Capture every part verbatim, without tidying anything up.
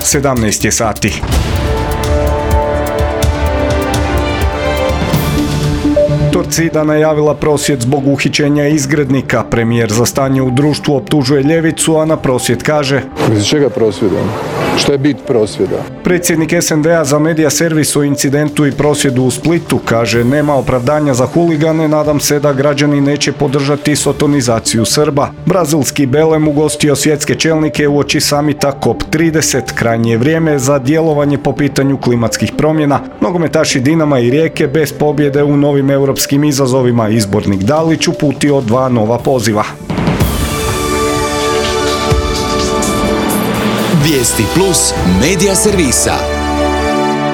sedamnaest je sati. Torcida najavila prosvjed zbog uhićenja izgrednika. Premijer za stanje u društvu optužuje ljevicu, a na prosvjed kaže: Iz čega prosvjeda? Što je bit prosvjeda? Predsjednik es en de a za medija servis o incidentu i prosvjedu u Splitu kaže: nema opravdanja za huligane, nadam se da građani neće podržati sotonizaciju Srba. Brazilski Belem ugostio svjetske čelnike uoči samita kop trideset. Krajnje je vrijeme za djelovanje po pitanju klimatskih promjena. Nogometaši Dinama i Rijeke bez pobjede u novim europskim izazovima. Izbornik Dalić uputio dva nova poziva. Vijesti plus medija servisa.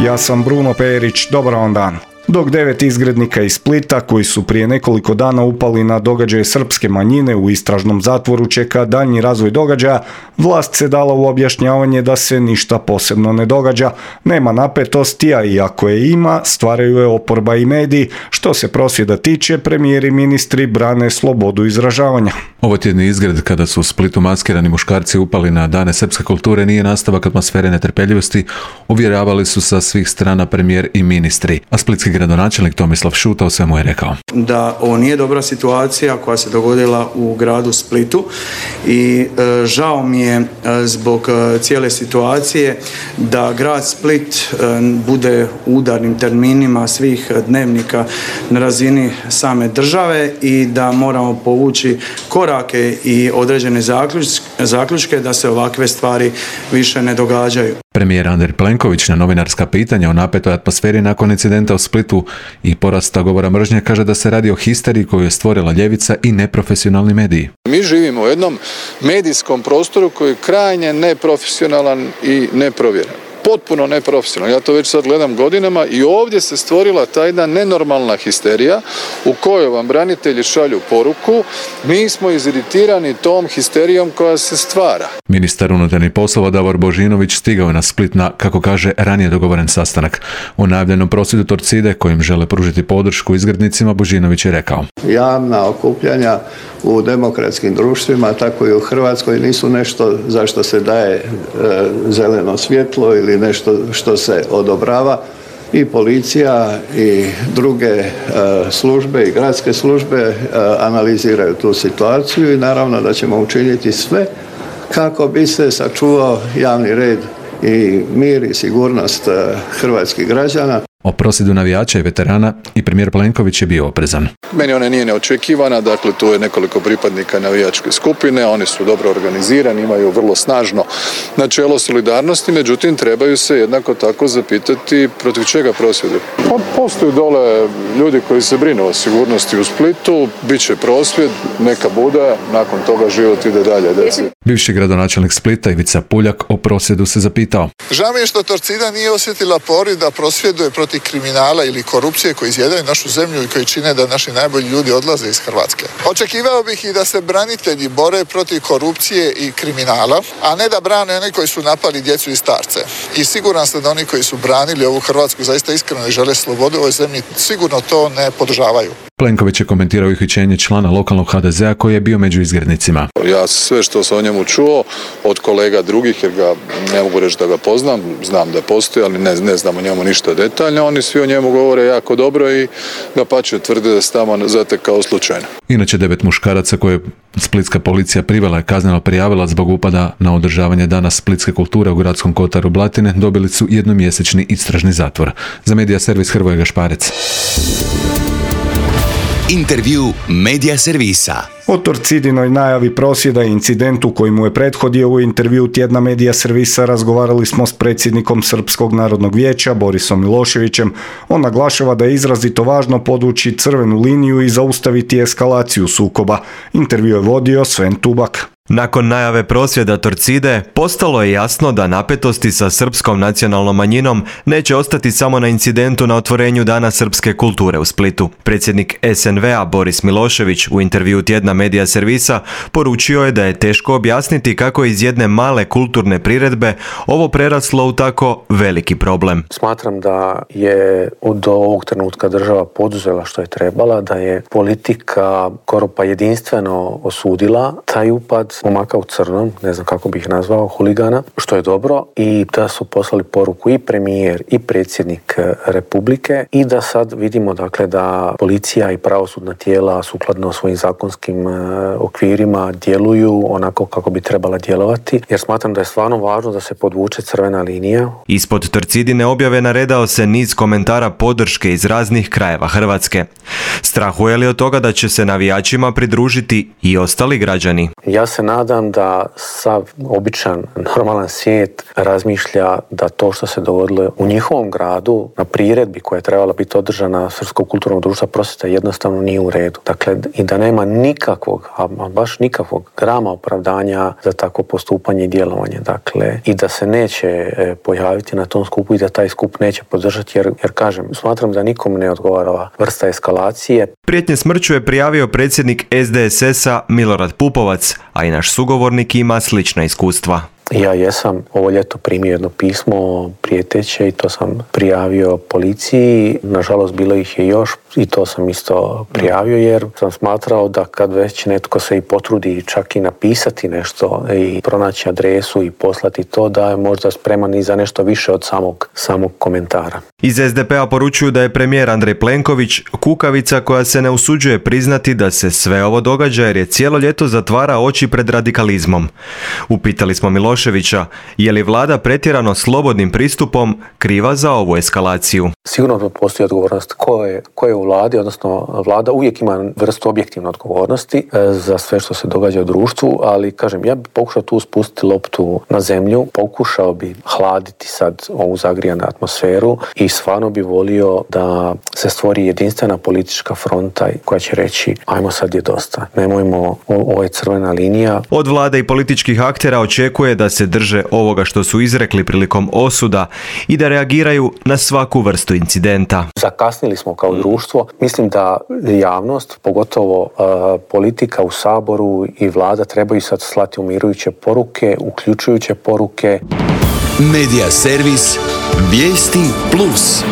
Ja sam Bruno Perić, dobar vam dan. Dok devet izgrednika iz Splita, koji su prije nekoliko dana upali na događaje srpske manjine u istražnom zatvoru, čeka daljnji razvoj događaja, vlast se dala u objašnjavanje da se ništa posebno ne događa. Nema napetosti, a i ako je ima, stvaraju je oporba i mediji. Što se prosvjeda tiče, premijer i ministri brane slobodu izražavanja. Ovo tjedni izgred kada su u Splitu maskirani muškarci upali na dane srpske kulture nije nastavak atmosfere netrpeljivosti, uvjeravali su sa svih strana premijer i ministri. A splitski gradonačelnik Tomislav Šuta o svemu je rekao: da ovo nije dobra situacija koja se dogodila u gradu Splitu i e, žao mi je e, zbog e, cijele situacije da grad Split e, bude u udarnim terminima svih dnevnika na razini same države i da moramo povući korake i određene zaključke da se ovakve stvari više ne događaju. Premijer Andrej Plenković na novinarska pitanja o napetoj atmosferi nakon incidenta u Splitu i porasta govora mržnje kaže da se radi o histeriji koju je stvorila ljevica i neprofesionalni mediji. Mi živimo u jednom medijskom prostoru koji je krajnje neprofesionalan i neprovjeren. Potpuno neprofesionalno. Ja to već sad gledam godinama i ovdje se stvorila ta jedna nenormalna histerija u kojoj vam branitelji šalju poruku: mi smo iziritirani tom histerijom koja se stvara. Ministar unutarnjih poslova Davor Božinović stigao je na Split na, kako kaže, ranije dogovoren sastanak. O najavljenom prosvjedu Torcide kojim žele pružiti podršku izgrednicima Božinović je rekao: javna okupljanja u demokratskim društvima, tako i u Hrvatskoj, nisu nešto za što se daje e, zeleno svjetlo ili nešto što se odobrava. I policija i druge e, službe i gradske službe e, analiziraju tu situaciju i naravno da ćemo učiniti sve kako bi se sačuvao javni red i mir i sigurnost e, hrvatskih građana. O prosvjedu navijača i veterana i premijer Plenković je bio oprezan. Meni ona nije neočekivana, dakle tu je nekoliko pripadnika navijačke skupine, oni su dobro organizirani, imaju vrlo snažno načelo solidarnosti, međutim trebaju se jednako tako zapitati protiv čega prosvjeduju. Pa postoje dole ljudi koji se brinu o sigurnosti u Splitu, bit će prosvjed, neka bude, nakon toga život ide dalje. Deci. Bivši gradonačelnik Splita Ivica Puljak o prosvjedu se zapitao: žao mi je što Torcida nije osjetila poriv da prosvjeduje protiv kriminala ili korupcije koji izjedaju našu zemlju i koji čine da naši najbolji ljudi odlaze iz Hrvatske. Očekivao bih i da se branitelji bore protiv korupcije i kriminala, a ne da brane oni koji su napali djecu i starce. I siguran sam da oni koji su branili ovu Hrvatsku zaista iskreno i žele slobodu u ovoj zemlji sigurno to ne podržavaju. Plenković je komentirao uhićenje člana lokalnog ha de zea koji je bio među izgrednicima. Ja sve što sam o njemu čuo od kolega drugih, jer ga ne mogu reći da ga poznam, znam da postoji, ali ne, ne znam o njemu ništa detaljno, oni svi o njemu govore jako dobro i dapače tvrde da se tamo zatekao slučajno. Inače, devet muškaraca koje splitska policija privela i kazneno prijavila zbog upada na održavanje dana splitske kulture u gradskom kotaru Blatine dobili su jednomjesečni istražni zatvor. Za medija servis Hrvoje Gašparec. Intervju medija servisa. O Torcidinoj najavi prosvjeda i incidentu koji mu je prethodio u intervju tjedna medija servisa razgovarali smo s predsjednikom Srpskog narodnog vijeća Borisom Miloševićem. On naglašava da je izrazito važno podvući crvenu liniju i zaustaviti eskalaciju sukoba. Intervju je vodio Sven Tubak. Nakon najave prosvjeda Torcide, postalo je jasno da napetosti sa srpskom nacionalnom manjinom neće ostati samo na incidentu na otvorenju Dana srpske kulture u Splitu. Predsjednik es en ve a Boris Milošević u intervju tjedna medija servisa poručio je da je teško objasniti kako iz jedne male kulturne priredbe ovo preraslo u tako veliki problem. Smatram da je od ovog trenutka država poduzela što je trebala, da je politika skoro pa jedinstveno osudila taj upad, šest momaka u crnom, ne znam kako bih ih nazvao, huligana, što je dobro, i da su poslali poruku i premijer i predsjednik Republike i da sad vidimo dakle da policija i pravosudna tijela sukladno svojim zakonskim okvirima djeluju onako kako bi trebala djelovati, jer smatram da je stvarno važno da se podvuče crvena linija. Ispod Torcidine objave naredao se niz komentara podrške iz raznih krajeva Hrvatske. Strahuje li od toga da će se navijačima pridružiti i ostali građani? Ja se nadam da sav običan, normalan svijet razmišlja da to što se dogodilo u njihovom gradu na priredbi koja je trebala biti održana Srpskog kulturnog društva prosvjeta jednostavno nije u redu. Dakle, i da nema nikakvog, a baš nikakvog grama opravdanja za takvo postupanje i djelovanje. Dakle, i da se neće pojaviti na tom skupu i da taj skup neće podržati, jer, jer kažem, smatram da nikom ne odgovara ova vrsta eskalacije. Prijetnje smrću je prijavio predsjednik S D S S-a Milorad Pupovac, a i naš sugovornik ima slična iskustva. Ja jesam ovo ljeto primio jedno pismo prijeteće i to sam prijavio policiji. Nažalost, bilo ih je još i to sam isto prijavio jer sam smatrao da kad već netko se i potrudi čak i napisati nešto i pronaći adresu i poslati to, da je možda spreman i za nešto više od samog, samog komentara. Iz S D P-a poručuju da je premijer Andrej Plenković kukavica koja se ne usuđuje priznati da se sve ovo događa jer je cijelo ljeto zatvara oči pred radikalizmom. Upitali smo Miloševića, je li vlada pretjerano slobodnim pristupom kriva za ovu eskalaciju? Sigurno da postoji odgovornost ko je, ko je u vladi, odnosno vlada uvijek ima vrstu objektivne odgovornosti za sve što se događa u društvu, ali kažem, ja bih pokušao tu spustiti loptu na zemlju, pokušao bi hladiti sad ovu zagrijanu atmosferu i stvarno bi volio da se stvori jedinstvena politička fronta koja će reći ajmo sad je dosta, nemojmo, ovo je crvena linija. Od vlade i političkih aktera očekuje da se drže ovoga što su izrekli prilikom osuda i da reagiraju na svaku vrstu incidenta. Zakasnili smo kao društvo. Mislim da javnost, pogotovo uh, politika u Saboru i vlada trebaju sad slati umirujuće poruke, uključujuće poruke. Medija servis Vijesti plus.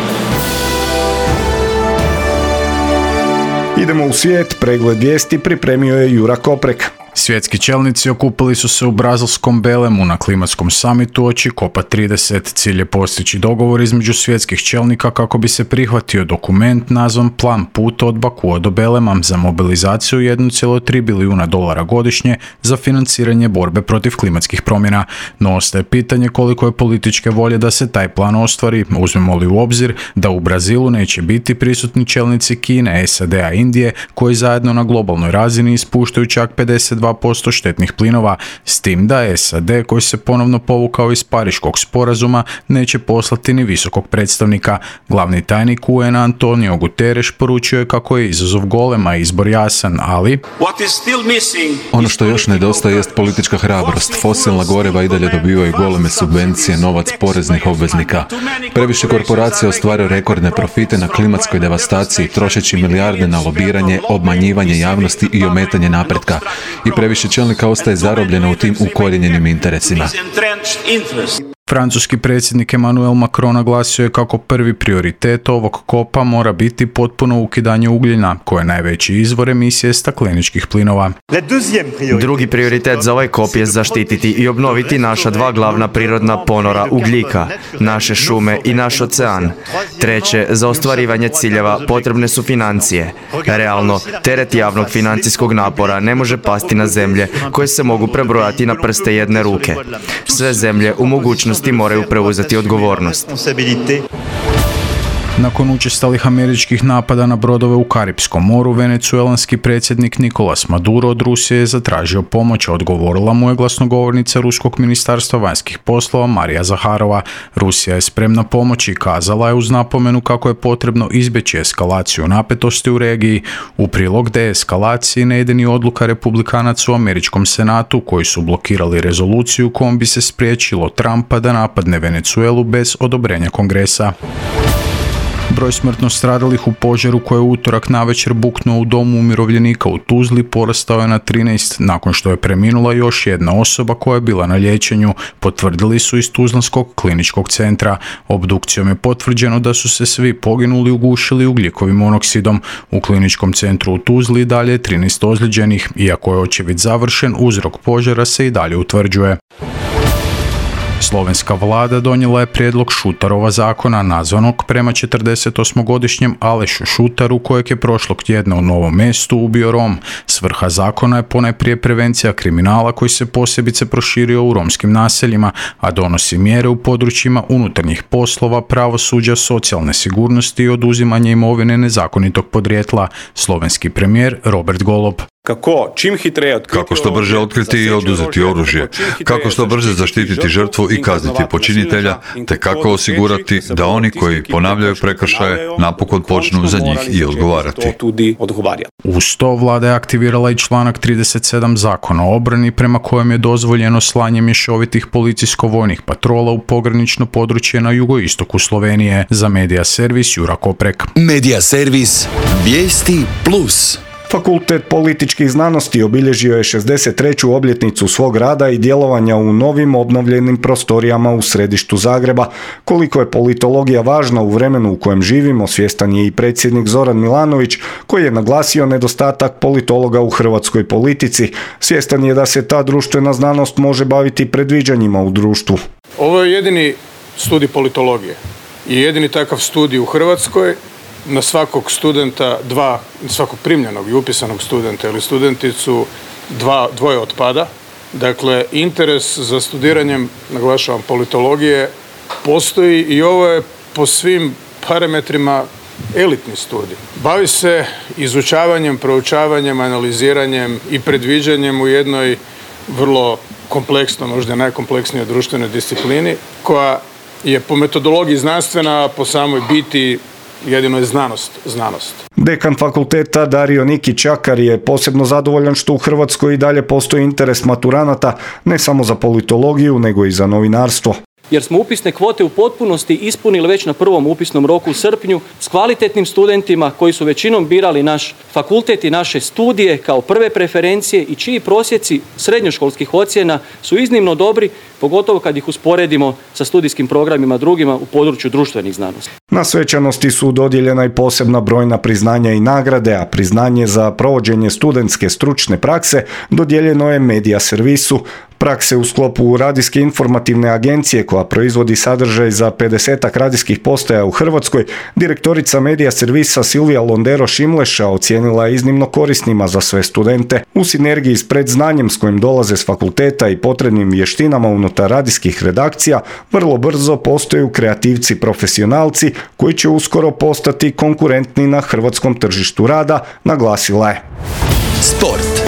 Idemo u svijet, pregled vijesti pripremio je Jura Koprek. Svjetski čelnici okupili su se u brazilskom Belemu na klimatskom samitu oči kopa trideset. Cilj je postići dogovor između svjetskih čelnika kako bi se prihvatio dokument nazvan Plan puta od Bakua do Belema za mobilizaciju jedan zarez tri bilijuna dolara godišnje za financiranje borbe protiv klimatskih promjena. No ostaje pitanje koliko je političke volje da se taj plan ostvari. Uzmemo li u obzir da u Brazilu neće biti prisutni čelnici Kine, S A D-a i Indije koji zajedno na globalnoj razini ispuštaju čak pedeset dva posto štetnih plinova, s tim da S A D koji se ponovno povukao iz Pariškog sporazuma neće poslati ni visokog predstavnika. Glavni tajnik U N-a Antonio Guterres poručio je kako je izazov golema izbor jasan, ali ono što još nedostaje jest politička hrabrost. Fosilna goriva i dalje dobivaju goleme subvencije, novac poreznih obveznika. Previše korporacija ostvaraju rekordne profite na klimatskoj devastaciji, trošeći milijarde na lobiranje, obmanjivanje javnosti i ometanje napretka. I previše čelnika ostaje zarobljeno u tim ukorijenjenim interesima. Francuski predsjednik Emmanuel Macron naglasio je kako prvi prioritet ovog kopa mora biti potpuno ukidanje ugljena, koje je najveći izvor emisije stakleničkih plinova. Drugi prioritet za ovaj kop je zaštititi i obnoviti naša dva glavna prirodna ponora ugljika, naše šume i naš ocean. Treće, za ostvarivanje ciljeva potrebne su financije. Realno, teret javnog financijskog napora ne može pasti na zemlje koje se mogu prebrojati na prste jedne ruke. Sve zemlje u mogućnosti moraju preuzeti odgovornost. Nakon učestalih američkih napada na brodove u Karipskom moru, venecuelanski predsjednik Nicolas Maduro od Rusije je zatražio pomoć, a odgovorila mu je glasnogovornica Ruskog ministarstva vanjskih poslova Marija Zaharova. Rusija je spremna pomoći i kazala je uz napomenu kako je potrebno izbjeći eskalaciju napetosti u regiji. U prilog deeskalaciji ne ide ni odluka republikanaca u američkom senatu koji su blokirali rezoluciju kojom bi se spriječilo Trumpa da napadne Venecuelu bez odobrenja kongresa. Broj smrtno stradalih u požaru koji je u utorak navečer buknuo u domu umirovljenika u Tuzli porastao je na trinaest nakon što je preminula još jedna osoba koja je bila na liječenju, potvrdili su iz Tuzlanskog kliničkog centra. Obdukcijom je potvrđeno da su se svi poginuli ugušili ugljikovim monoksidom. U kliničkom centru u Tuzli dalje je trinaest ozlijeđenih, iako je očevid završen, uzrok požara se i dalje utvrđuje. Slovenska vlada donijela je prijedlog Šutarova zakona nazvanog prema četrdesetosmogodišnjem Alešu Šutaru kojeg je prošlog tjedna u Novom Mestu ubio Rom. Svrha zakona je ponajprije prevencija kriminala koji se posebice proširio u romskim naseljima, a donosi mjere u područjima unutarnjih poslova, pravosuđa, socijalne sigurnosti i oduzimanja imovine nezakonitog podrijetla. Slovenski premijer Robert Golob. Kako, čim hitreje otkriti kako što brže otkriti i oduzeti oružje, kako što brže zaštititi žrtvu i kazniti počinitelja, te kako osigurati da oni koji ponavljaju prekršaje napokon počnu za njih i odgovarati. Uz to vlada je aktivirala i članak trideset sedam Zakona o obrani prema kojem je dozvoljeno slanje mješovitih policijsko-vojnih patrola u pogranično područje na jugoistoku Slovenije. Za Medija servis Jura Koprek. Medija servis Vijesti plus. Fakultet političkih znanosti obilježio je šezdeset treću obljetnicu svog rada i djelovanja u novim obnovljenim prostorijama u središtu Zagreba. Koliko je politologija važna u vremenu u kojem živimo, svjestan je i predsjednik Zoran Milanović, koji je naglasio nedostatak politologa u hrvatskoj politici. Svjestan je da se ta društvena znanost može baviti predviđanjima u društvu. Ovo je jedini studij politologije i jedini takav studij u Hrvatskoj. Na svakog studenta dva, svakog primljenog i upisanog studenta ili studenticu dva, dvoje otpada. Dakle, interes za studiranjem, naglašavam, politologije postoji i ovo je po svim parametrima elitni studij. Bavi se izučavanjem, proučavanjem, analiziranjem i predviđanjem u jednoj vrlo kompleksnoj, možda najkompleksnijoj društvenoj disciplini, koja je po metodologiji znanstvena, a po samoj biti jedino je znanost, znanost. Dekan fakulteta Dario Niki Čakar je posebno zadovoljan što u Hrvatskoj i dalje postoji interes maturanata ne samo za politologiju, nego i za novinarstvo. Jer smo upisne kvote u potpunosti ispunili već na prvom upisnom roku u srpnju s kvalitetnim studentima koji su većinom birali naš fakultet i naše studije kao prve preferencije i čiji prosjeci srednjoškolskih ocjena su iznimno dobri, pogotovo kad ih usporedimo sa studijskim programima drugima u području društvenih znanosti. Na svečanosti su dodijeljena i posebna brojna priznanja i nagrade, a priznanje za provođenje studentske stručne prakse dodijeljeno je Medija servisu. Prakse u sklopu radijske informativne agencije koja proizvodi sadržaj za pedesetak radijskih postaja u Hrvatskoj, direktorica Medija servisa Silvija Londero Šimleša ocijenila je iznimno korisnima za sve studente. U sinergiji s predznanjem s kojim dolaze s fakulteta i potrebnim vještinama unutar radijskih redakcija, vrlo brzo postaju kreativci profesionalci koji će uskoro postati konkurentni na hrvatskom tržištu rada, naglasila je. Sport.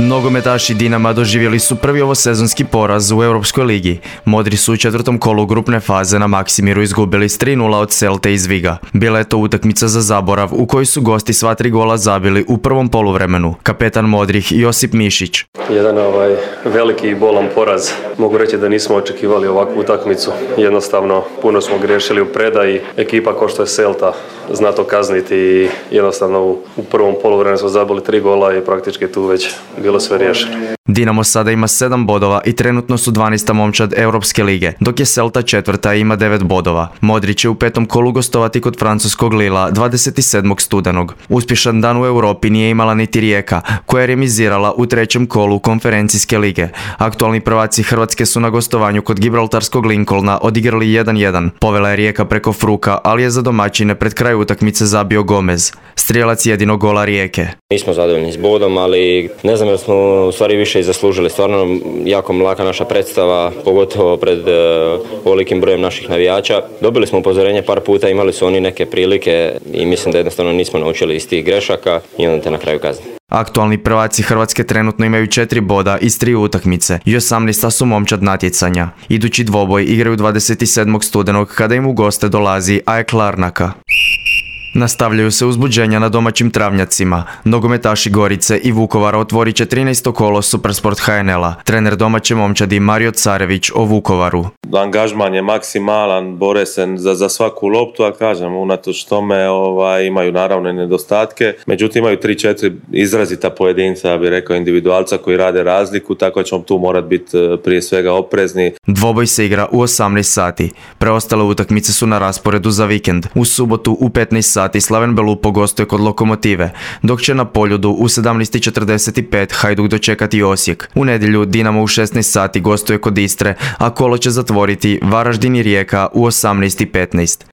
Nogometaši Dinama doživjeli su prvi ovosezonski poraz u Europskoj ligi. Modri su u četvrtom kolu grupne faze na Maksimiru izgubili s tri nula od Celte iz Viga. Bila je to utakmica za zaborav u kojoj su gosti sva tri gola zabili u prvom poluvremenu. Kapetan Modrih Josip Mišić. Jedan ovaj veliki i bolan poraz. Mogu reći da nismo očekivali ovakvu utakmicu. Jednostavno puno smo griješili u predaji. Ekipa kao što je Celta zna to kazniti i jednostavno u, u prvom poluvremenu smo zabili tri gola i praktički tu već bilo sve riješeno. Dinamo sada ima sedam bodova i trenutno su dvanaesta momčad Europske lige, dok je Celta četvrta i ima devet bodova. Modrić će u petom kolu gostovati kod francuskog Lila dvadeset sedmog studenog. Uspješan dan u Europi nije imala niti Rijeka, koja je remizirala u trećem kolu konferencijske lige. Aktualni prvaci Hrvatske su na gostovanju kod gibraltarskog Lincolna odigrali jedan jedan. Povela je Rijeka preko Fruka, ali je za domaćine pred kraj utakmice zabio Gomez, strijelac jedinog gola Rijeke. Nismo zadovoljni s bodom, ali ne znam jer smo u stvari više i zaslužili. Stvarno jako mlaka naša predstava, pogotovo pred uh, velikim brojem naših navijača. Dobili smo upozorenje par puta, imali su oni neke prilike i mislim da jednostavno nismo naučili iz tih grešaka i onda te na kraju kazni. Aktualni prvaci Hrvatske trenutno imaju četiri boda iz tri utakmice i osamnaesta su momčad natjecanja. Idući dvoboj igraju dvadeset sedmog studenog kada im u goste dolazi A E K Larnaka. Nastavljaju se uzbuđenja na domaćim travnjacima. Nogometaši Gorice i Vukovara otvorit će trinaesto kolo Supersport ha en el-a. Trener domaće momčadi Mario Carević o Vukovaru. Angažman je maksimalan, bore se za, za svaku loptu, a kažem, unatoč tome ovaj, imaju naravno nedostatke. Međutim, imaju tri četiri izrazita pojedinca, ja bih rekao individualca koji rade razliku, tako ćemo tu morat biti prije svega oprezni. Dvoboj se igra u osamnaest sati. Preostale utakmice su na rasporedu za vikend. U subotu u petnaest sati Slaven Belupo gostuje kod Lokomotive, dok će na Poljudu u sedamnaest i četrdeset pet Hajduk dočekati Osijek. U nedjelju Dinamo u šesnaest sati gostuje kod Istre, a kolo će zatvoriti Varaždin i Rijeka u osamnaest i petnaest.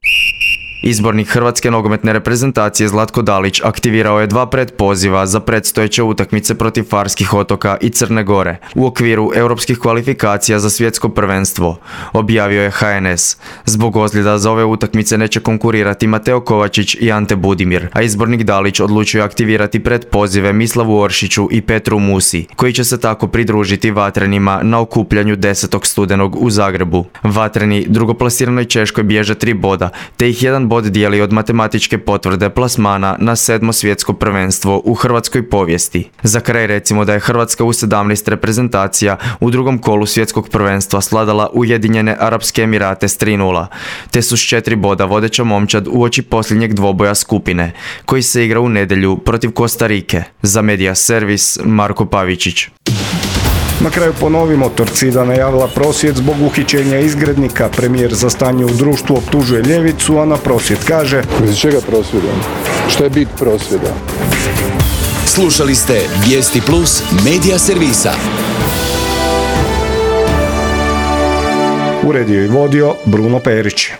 Izbornik hrvatske nogometne reprezentacije Zlatko Dalić aktivirao je dva predpoziva za predstojeće utakmice protiv Farskih otoka i Crne Gore u okviru europskih kvalifikacija za svjetsko prvenstvo, objavio je ha en es. Zbog ozljeda za ove utakmice neće konkurirati Mateo Kovačić i Ante Budimir, a izbornik Dalić odlučio aktivirati predpozive Mislavu Oršiću i Petru Musi, koji će se tako pridružiti Vatrenima na okupljanju desetog studenog u Zagrebu. Vatreni drugoplasirano Češkoj bježe tri boda, te ih jedan bod dijeli od matematičke potvrde plasmana na sedmo svjetsko prvenstvo u hrvatskoj povijesti. Za kraj recimo da je Hrvatska u sedamnaest reprezentacija u drugom kolu svjetskog prvenstva sladala Ujedinjene Arapske Emirate s tri nula, te su s četiri boda vodeća momčad uoči posljednjeg dvoboja skupine, koji se igra u nedjelju protiv Kostarike. Za Media Servis, Marko Pavičić. Na kraju ponovimo, Torcida najavila prosvjed zbog uhićenja izgrednika. Premijer za stanje u društvu optužuje ljevicu, a na prosvjed kaže: Za čega prosvjedom? Šta je bit prosvjeda? Slušali ste Vijesti Plus Media Servisa. Uredio i vodio Bruno Perić.